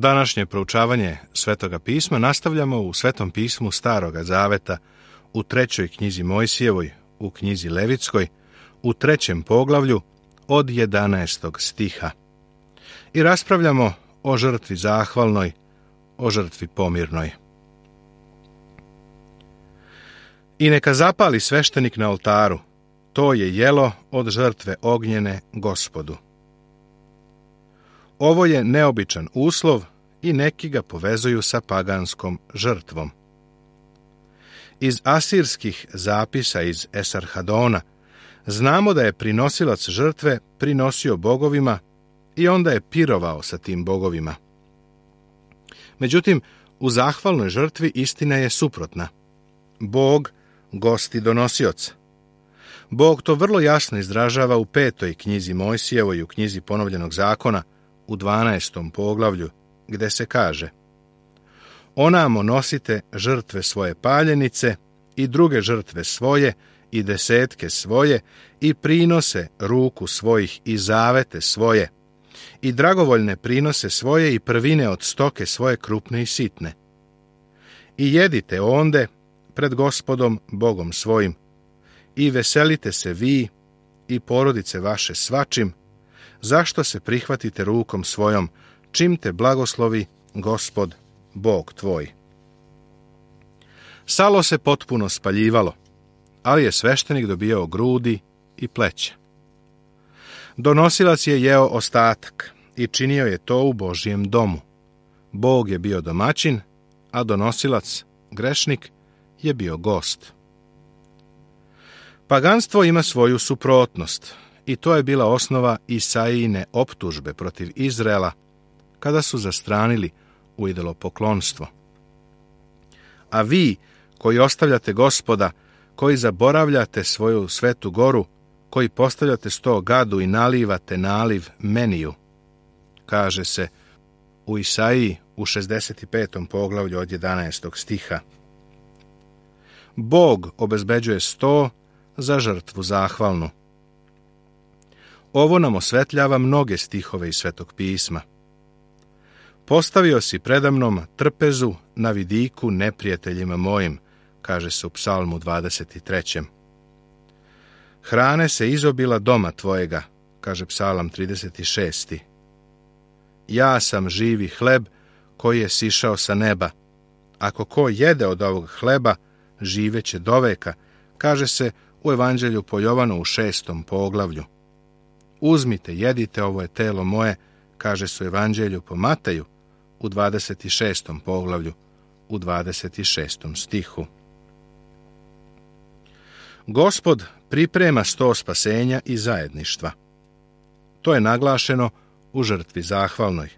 Današnje proučavanje Svetoga pisma nastavljamo u Svetom pismu Staroga zaveta, u 3. knjizi Mojsijevoj, u knjizi Levitskoj, u 3. poglavlju od 11. stiha. I raspravljamo o žrtvi zahvalnoj, o žrtvi pomirnoj. I neka zapali sveštenik na oltaru, to je jelo od žrtve ognjene Gospodu. Ovo je neobičan uslov i neki ga povezuju sa paganskom žrtvom. Iz asirskih zapisa iz Esarhadona znamo da je prinosilac žrtve prinosio bogovima i onda je pirovao sa tim bogovima. Međutim, u zahvalnoj žrtvi istina je suprotna. Bog gosti donosioca. Bog to vrlo jasno izražava u 5. knjizi Mojsijevoj i u knjizi Ponovljenog zakona, u 12. poglavlju, gde se kaže: Onamo nosite žrtve svoje paljenice i druge žrtve svoje i desetke svoje i prinose ruku svojih i zavete svoje i dragovoljne prinose svoje i prvine od stoke svoje krupne i sitne. I jedite onde pred Gospodom Bogom svojim i veselite se vi i porodice vaše svačim, zašto se prihvatite rukom svojom, čim te blagoslovi Gospod Bog tvoj. Salo se potpuno spaljivalo, ali je sveštenik dobijao grudi i pleća. Donosilac je jeo ostatak i činio je to u Božjem domu. Bog je bio domaćin, a donosilac, grešnik, je bio gost. Paganstvo ima svoju suprotnost i to je bila osnova Isaijine optužbe protiv Izraela kada su zastranili u idolopoklonstvo. A vi koji ostavljate Gospoda, koji zaboravljate svoju svetu goru, koji postavljate 100 gadu i nalivate naliv meniju, kaže se u Isaiji u 65. poglavlju od 11. stiha. Bog obezbeđuje 100 za žrtvu zahvalnu. Ovo nam osvetljava mnoge stihove iz Svetog pisma. Postavio si predamnom trpezu na vidiku neprijateljima mojim, kaže se u Psalmu 23. Hrane se izobila doma tvojega, kaže Psalam 36. Ja sam živi hleb koji je sišao sa neba. Ako ko jede od ovog hleba, živeće doveka, kaže se u Evanđelju po Jovanu u 6. poglavlju. Uzmite, jedite, ovo je telo moje, kaže se u Evanđelju po Mateju u 26. poglavlju, u 26. stihu. Gospod priprema 100 spasenja i zajedništva. To je naglašeno u žrtvi zahvalnoj.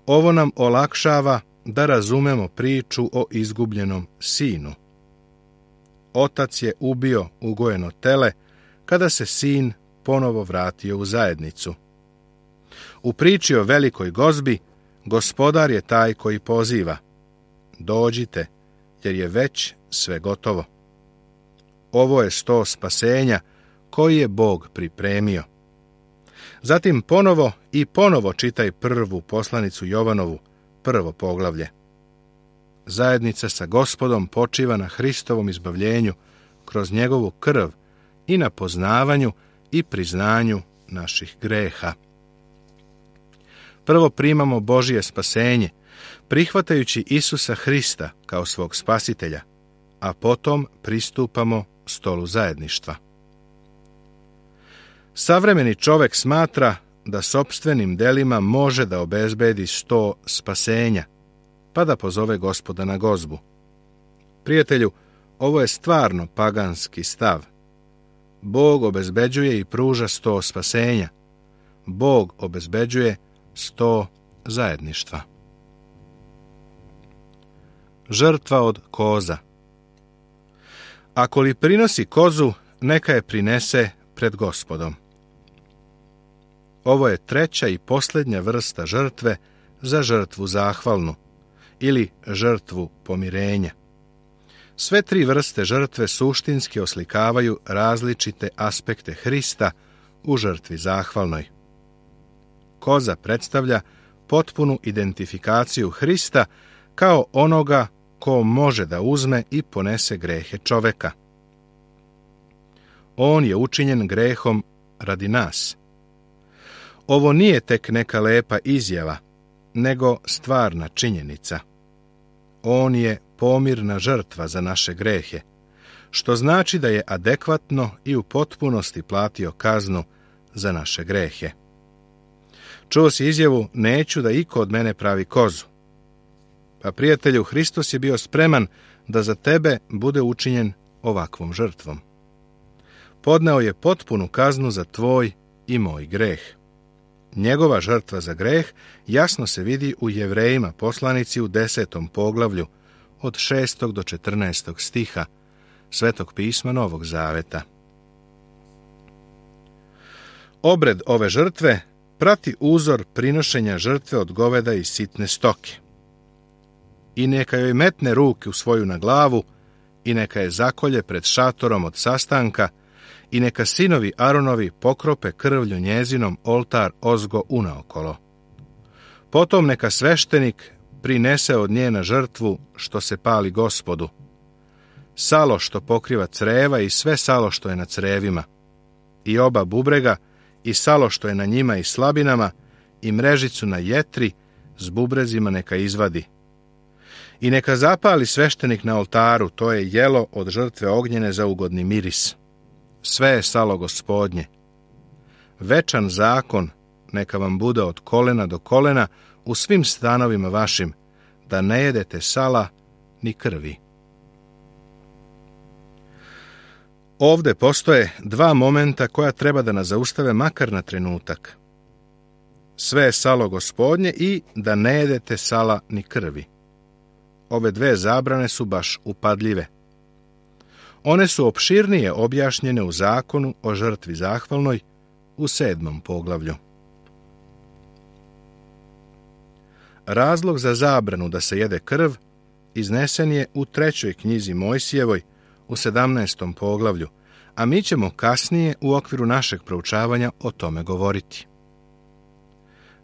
Ovo nam olakšava da razumemo priču o izgubljenom sinu. Otac je ubio ugojeno tele kada se sin ponovo vratio u zajednicu. U priči o velikoj gozbi Gospodar je taj koji poziva: dođite, jer je već sve gotovo. Ovo je 100 spasenja koji je Bog pripremio. Zatim ponovo i ponovo čitaj prvu poslanicu Jovanovu, 1. poglavlje. Zajednica sa Gospodom počiva na Hristovom izbavljenju kroz njegovu krv i na poznavanju i priznanju naših greha. Prvo primamo Božje spasenje, prihvatajući Isusa Hrista kao svog spasitelja, a potom pristupamo stolu zajedništva. Savremeni čovek smatra da sopstvenim delima može da obezbedi 100 spasenja, pa da pozove Gospoda na gozbu. Prijatelju, ovo je stvarno paganski stav. Bog obezbeđuje i pruža 100 spasenja. Bog obezbeđuje 100 zajedništva. Žrtva od koza. Ako li prinosi kozu, neka je prinese pred Gospodom. Ovo je treća i posljednja vrsta žrtve za žrtvu zahvalnu ili žrtvu pomirenja. Sve tri vrste žrtve suštinski oslikavaju različite aspekte Hrista u žrtvi zahvalnoj. Koza predstavlja potpunu identifikaciju Hrista kao onoga ko može da uzme i ponese grehe čoveka. On je učinjen grehom radi nas. Ovo nije tek neka lepa izjava, nego stvarna činjenica. On je pomirna žrtva za naše grehe, što znači da je adekvatno i u potpunosti platio kaznu za naše grehe. Čuo si izjavu, neću da iko od mene pravi kozu. Pa prijatelju, Hristos je bio spreman da za tebe bude učinjen ovakvom žrtvom. Podneo je potpunu kaznu za tvoj i moj greh. Njegova žrtva za greh jasno se vidi u Jevrejima poslanici u 10. poglavlju od 6. do 14. stiha Svetog pisma Novog Zaveta. Obred ove žrtve prati uzor prinošenja žrtve od goveda i sitne stoke. I neka joj metne ruke u svoju na glavu, i neka je zakolje pred šatorom od sastanka, i neka sinovi Aronovi pokrope krvlju njezinom oltar ozgo unaokolo. Potom neka sveštenik prinese od nje na žrtvu što se pali Gospodu, salo što pokriva creva i sve salo što je na crevima, i oba bubrega, i salo što je na njima i slabinama, i mrežicu na jetri s bubrezima neka izvadi. I neka zapali sveštenik na oltaru, to je jelo od žrtve ognjene za ugodni miris. Sve je salo Gospodnje. Večan zakon neka vam bude od kolena do kolena u svim stanovima vašim, da ne jedete sala ni krvi. Ovde postoje dva momenta koja treba da nas zaustave makar na trenutak. Sve je salo Gospodnje i da ne jedete sala ni krvi. Ove dve zabrane su baš upadljive. One su opširnije objašnjene u zakonu o žrtvi zahvalnoj u 7. poglavlju. Razlog za zabranu da se jede krv iznesen je u 3. knjizi Mojsijevoj u 17. poglavlju, a mi ćemo kasnije u okviru našeg proučavanja o tome govoriti.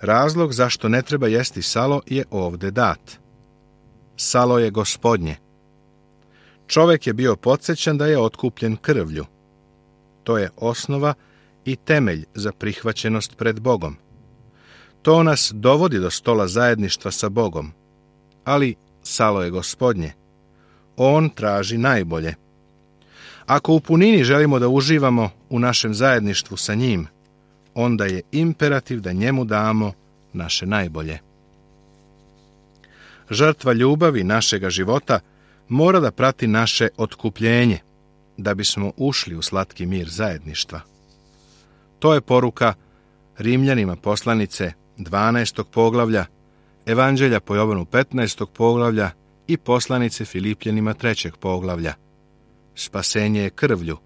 Razlog zašto ne treba jesti salo je ovde dat. Salo je Gospodnje. Čovek je bio podsjećan da je otkupljen krvlju. To je osnova i temelj za prihvaćenost pred Bogom. To nas dovodi do stola zajedništva sa Bogom. Ali salo je Gospodnje. On traži najbolje. Ako u punini želimo da uživamo u našem zajedništvu sa njim, onda je imperativ da njemu damo naše najbolje. Žrtva ljubavi našega života mora da prati naše otkupljenje, da bismo ušli u slatki mir zajedništva. To je poruka Rimljanima poslanice 12. poglavlja, Evanđelja po Jovanu 15. poglavlja i poslanice Filipljanima 3. poglavlja. Spasenje je krvlju,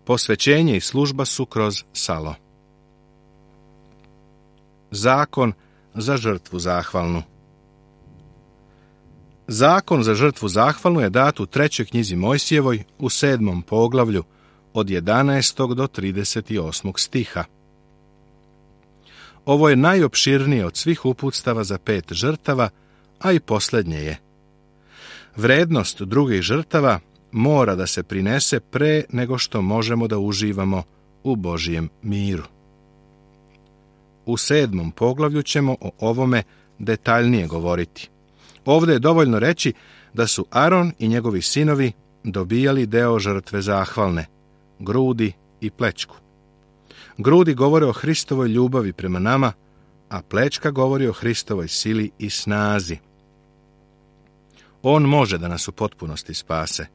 posvećenje i služba su kroz salo. Zakon za žrtvu zahvalnu. Zakon za žrtvu zahvalnu je dat u 3. knjizi Mojsijevoj u 7. poglavlju od 11. do 38. stiha. Ovo je najopširnije od svih uputstava za 5 žrtava, a i posljednje je. Vrednost drugih žrtava mora da se prinese pre nego što možemo da uživamo u Božijem miru. U 7. poglavlju ćemo o ovome detaljnije govoriti. Ovdje je dovoljno reći da su Aron i njegovi sinovi dobijali deo žrtve zahvalne, grudi i plećku. Grudi govore o Hristovoj ljubavi prema nama, a plećka govori o Hristovoj sili i snazi. On može da nas u potpunosti spase.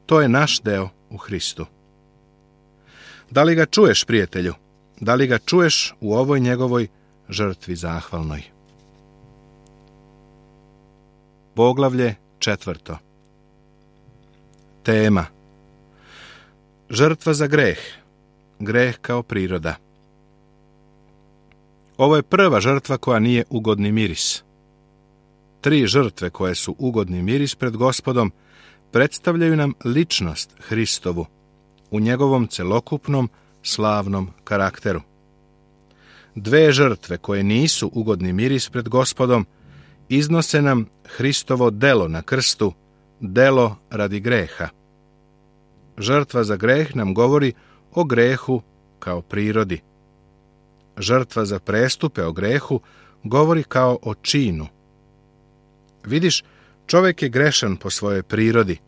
To je naš deo u Hristu. Da li ga čuješ, prijatelju? Da li ga čuješ u ovoj njegovoj žrtvi zahvalnoj? Poglavlje 4. Tema: žrtva za greh. Greh kao priroda. Ovo je prva žrtva koja nije ugodni miris. 3 žrtve koje su ugodni miris pred Gospodom predstavljaju nam ličnost Hristovu u njegovom celokupnom slavnom karakteru. Dve žrtve koje nisu ugodni miris pred Gospodom iznose nam Hristovo delo na krstu, delo radi greha. Žrtva za greh nam govori o grehu kao prirodi. Žrtva za prestupe o grehu govori kao o činu. Vidiš, čovjek je grešan po svojoj prirodi,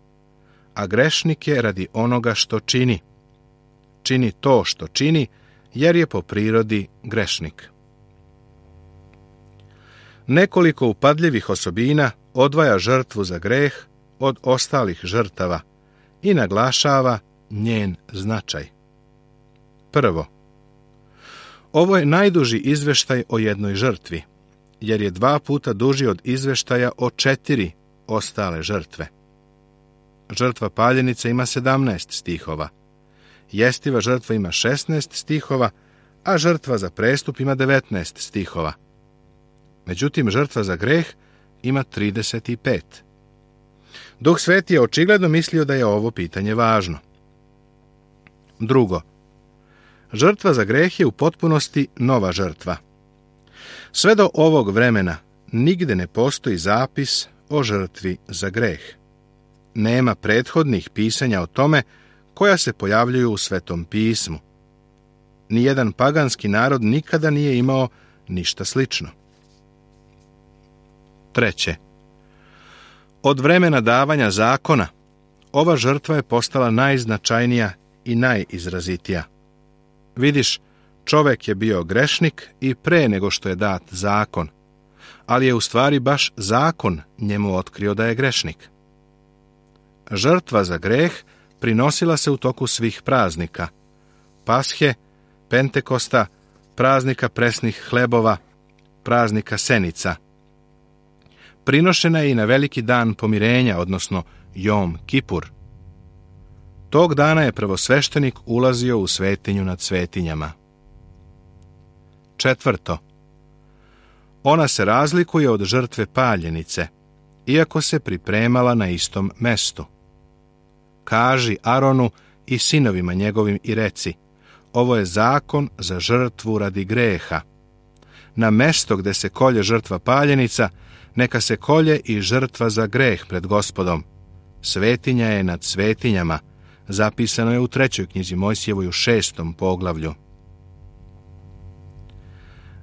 a grešnik je radi onoga što čini. Čini to što čini, jer je po prirodi grešnik. Nekoliko upadljivih osobina odvaja žrtvu za greh od ostalih žrtava i naglašava njen značaj. Prvo, ovo je najduži izveštaj o jednoj žrtvi, jer je 2 puta duži od izveštaja o 4 ostale žrtve. Žrtva paljenice ima 17 stihova, jestiva žrtva ima 16 stihova, a žrtva za prestup ima 19 stihova. Međutim, žrtva za greh ima 35. Duh Sveti je očigledno mislio da je ovo pitanje važno. Drugo, žrtva za greh je u potpunosti nova žrtva. Sve do ovog vremena nigde ne postoji zapis o žrtvi za greh. Nema prethodnih pisanja o tome koja se pojavljuju u Svetom pismu. Nijedan paganski narod nikada nije imao ništa slično. Treće, od vremena davanja zakona, ova žrtva je postala najznačajnija i najizrazitija. Vidiš, čovjek je bio grešnik i pre nego što je dat zakon, ali je u stvari baš zakon njemu otkrio da je grešnik. Žrtva za greh prinosila se u toku svih praznika: Pashe, Pentekosta, praznika presnih hlebova, praznika senica. Prinošena je i na veliki dan pomirenja, odnosno Jom Kipur. Tog dana je prvosveštenik ulazio u svetinju nad svetinjama. Četvrto, ona se razlikuje od žrtve paljenice, iako se pripremala na istom mestu. Kaži Aronu i sinovima njegovim i reci: ovo je zakon za žrtvu radi greha. Na mesto gde se kolje žrtva paljenica, neka se kolje i žrtva za greh pred Gospodom. Svetinja je nad svetinjama, zapisano je u 3. knjizi Mojsijevoj u 6. poglavlju.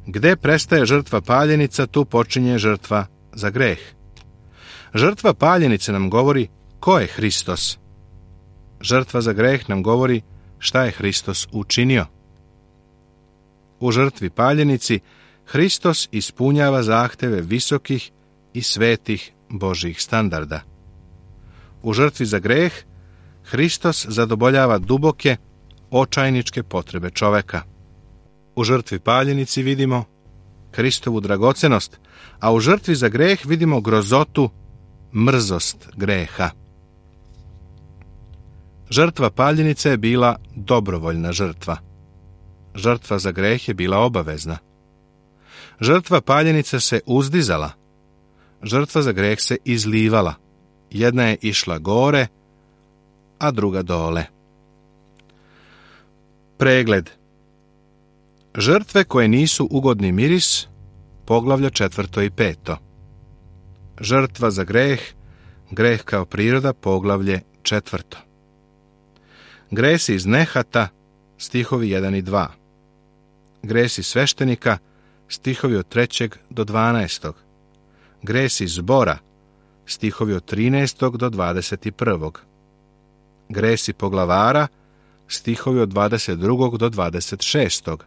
Gde prestaje žrtva paljenica, tu počinje žrtva za greh. Žrtva paljenice nam govori ko je Hristos. Žrtva za greh nam govori šta je Hristos učinio. U žrtvi paljenici Hristos ispunjava zahteve visokih i svetih Božjih standarda. U žrtvi za greh Hristos zadovoljava duboke, očajničke potrebe čoveka. U žrtvi paljenici vidimo Hristovu dragocenost, a u žrtvi za greh vidimo grozotu, mrzost greha. Žrtva paljenice je bila dobrovoljna žrtva. Žrtva za greh je bila obavezna. Žrtva paljenice se uzdizala. Žrtva za greh se izlivala. Jedna je išla gore, a druga dole. Pregled. Žrtve koje nisu ugodni miris, poglavlja 4. i 5. Žrtva za greh, greh kao priroda, poglavlje 4. Gresi iz nehata, stihovi 1 i 2. Gresi sveštenika, stihovi od 3. do 12. Gresi zbora, stihovi od 13. do 21. Gresi poglavara, stihovi od 22. do 26.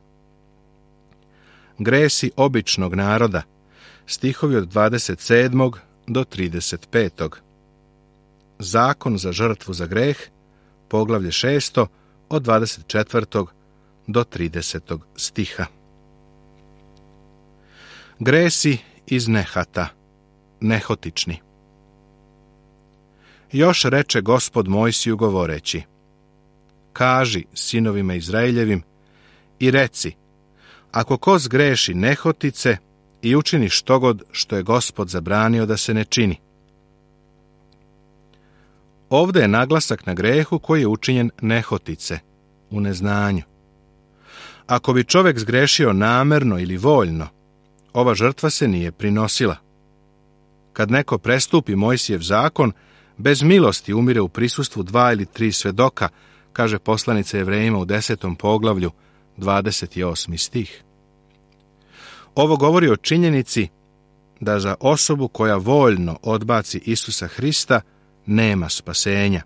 Gresi običnog naroda, stihovi od 27. do 35. Zakon za žrtvu za greh, poglavlje 6. od 24. do 30. stiha. Gresi iz nehata, nehotični. Još reče Gospod Mojsiju govoreći: kaži sinovima Izraeljevim i reci: ako ko zgreši nehotice i učini štogod što je Gospod zabranio da se ne čini. Ovde je naglasak na grehu koji je učinjen nehotice, u neznanju. Ako bi čovjek zgrešio namerno ili voljno, ova žrtva se nije prinosila. Kad neko prestupi Mojsijev zakon, bez milosti umire u prisustvu 2 ili 3 svedoka, kaže poslanica Jevrejima u 10. poglavlju, 28. stih. Ovo govori o činjenici da za osobu koja voljno odbaci Isusa Hrista nema spasenja.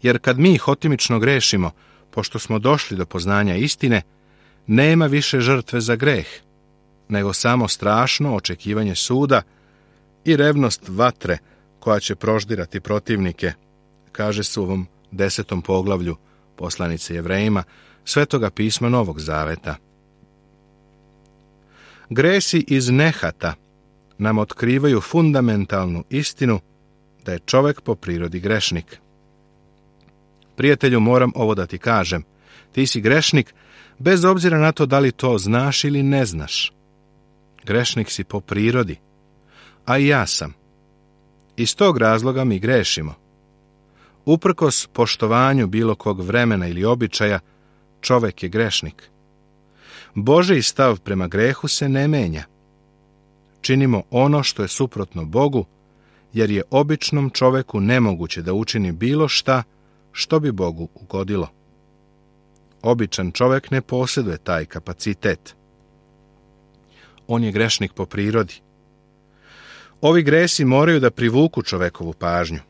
Jer kad mi hotimično grešimo, pošto smo došli do poznanja istine, nema više žrtve za greh, nego samo strašno očekivanje suda i revnost vatre koja će proždirati protivnike, kaže se u ovom 10. poglavlju poslanice Jevrejima Svetoga pisma Novog Zaveta. Gresi iz nehata nam otkrivaju fundamentalnu istinu da je čovjek po prirodi grešnik. Prijatelju, moram ovo da ti kažem. Ti si grešnik bez obzira na to da li to znaš ili ne znaš. Grešnik si po prirodi, a i ja sam. Iz tog razloga mi grešimo. Uprkos poštovanju bilo kog vremena ili običaja, čovjek je grešnik. Božji stav prema grehu se ne menja. Činimo ono što je suprotno Bogu, jer je običnom čovjeku nemoguće da učini bilo šta što bi Bogu ugodilo. Običan čovjek ne posjeduje taj kapacitet. On je grešnik po prirodi. Ovi gresi moraju da privuku čovekovu pažnju.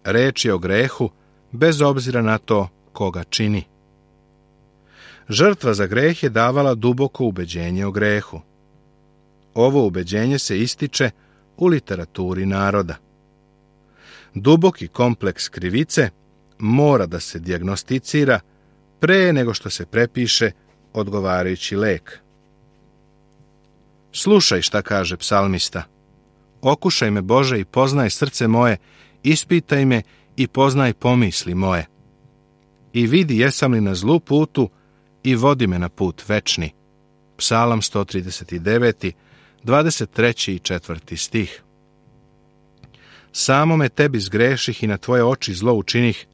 Reč je o grehu bez obzira na to koga čini. Žrtva za greh je davala duboko ubeđenje o grehu. Ovo ubeđenje se ističe u literaturi naroda. Duboki kompleks krivice mora da se dijagnosticira pre nego što se prepiše odgovarajući lek. Slušaj šta kaže psalmista. Okušaj me, Bože, i poznaj srce moje, ispitaj me i poznaj pomisli moje. I vidi jesam li na zlu putu i vodi me na put večni. Psalam 139, 23. i 4. stih. Samome tebi zgreših i na tvoje oči zlo učinih,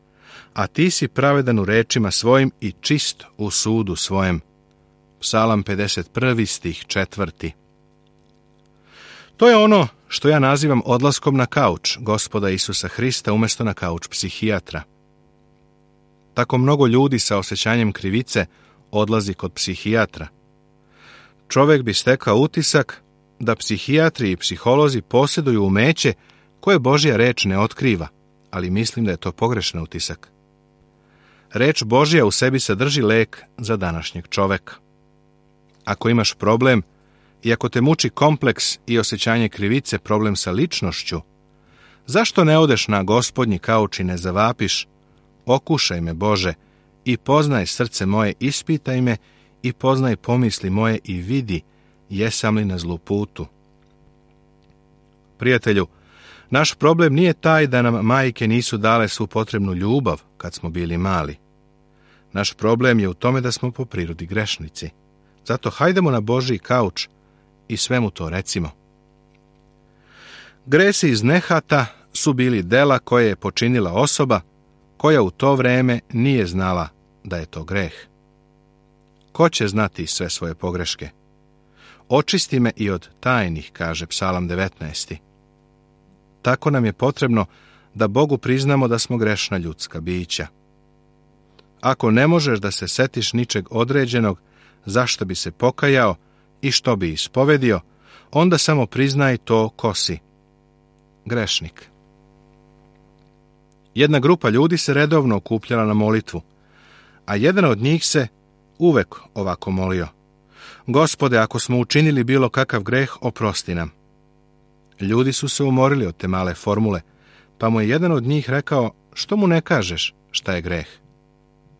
a ti si pravedan u rečima svojim i čist u sudu svojem. Psalam 51. stih 4. To je ono što ja nazivam odlaskom na kauč Gospoda Isusa Hrista umjesto na kauč psihijatra. Tako mnogo ljudi sa osjećanjem krivice odlazi kod psihijatra. Čovjek bi stekao utisak da psihijatri i psiholozi posjeduju umeće koje Božja reč ne otkriva, ali mislim da je to pogrešan utisak. Reč Božja u sebi sadrži lek za današnjeg čoveka. Ako imaš problem i ako te muči kompleks i osjećanje krivice, problem sa ličnošću, zašto ne odeš na Gospodnji kauč i ne zavapiš: okušaj me, Bože, i poznaj srce moje, ispitaj me i poznaj pomisli moje i vidi jesam li na zlu putu. Prijatelju, naš problem nije taj da nam majke nisu dale svu potrebnu ljubav kad smo bili mali. Naš problem je u tome da smo po prirodi grešnici. Zato hajdemo na Božji kauč i svemu to recimo. Gresi iz nehata su bili dela koje je počinila osoba koja u to vreme nije znala da je to greh. Ko će znati sve svoje pogreške? Očisti me i od tajnih, kaže Psalam 19. Tako nam je potrebno da Bogu priznamo da smo grešna ljudska bića. Ako ne možeš da se setiš ničeg određenog, zašto bi se pokajao i što bi ispovedio, onda samo priznaj to ko si. Grešnik. Jedna grupa ljudi se redovno okupljala na molitvu, a jedan od njih se uvek ovako molio: Gospode, ako smo učinili bilo kakav greh, oprosti nam. Ljudi su se umorili od te male formule, pa mu je jedan od njih rekao: što mu ne kažeš šta je greh?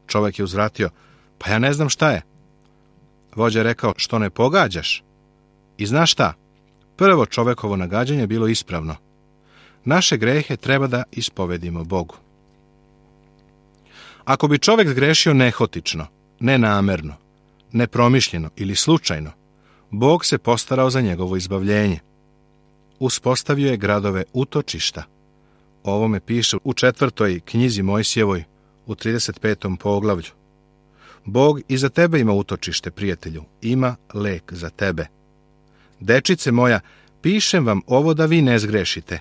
Čovjek je uzvratio: pa ja ne znam šta je. Vođa je rekao: što ne pogađaš? I znaš šta? Prvo čovjekovo nagađanje je bilo ispravno. Naše grehe treba da ispovedimo Bogu. Ako bi čovjek zgrešio nehotično, nenamerno, nepromišljeno ili slučajno, Bog se postarao za njegovo izbavljenje. Uspostavio je gradove utočišta. O ovome piše u 4. knjizi Mojsijevoj u 35. poglavlju. Bog i za tebe ima utočište, prijatelju, ima lek za tebe. Dečice moja, pišem vam ovo da vi ne zgrešite.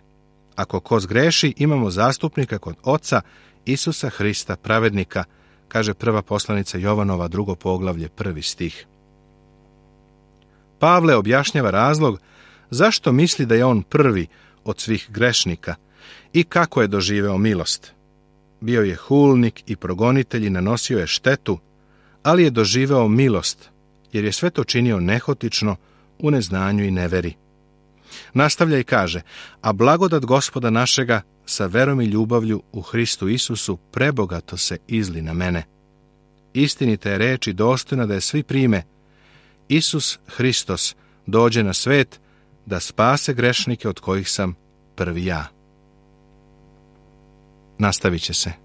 Ako ko zgreši, imamo zastupnika kod Oca, Isusa Hrista, pravednika, kaže prva poslanica Jovanova, 2. poglavlje, 1. stih. Pavle objašnjava razlog zašto misli da je on prvi od svih grešnika i kako je doživeo milost. Bio je hulnik i progonitelj i nanosio je štetu, ali je doživeo milost, jer je sve to činio nehotično, u neznanju i neveri. Nastavlja i kaže, a blagodat Gospoda našega sa verom i ljubavlju u Hristu Isusu prebogato se izli na mene. Istinita je reč i dostojna da je svi prime. Isus Hristos dođe na svet da spase grešnike od kojih sam prvi ja. Nastavit će se.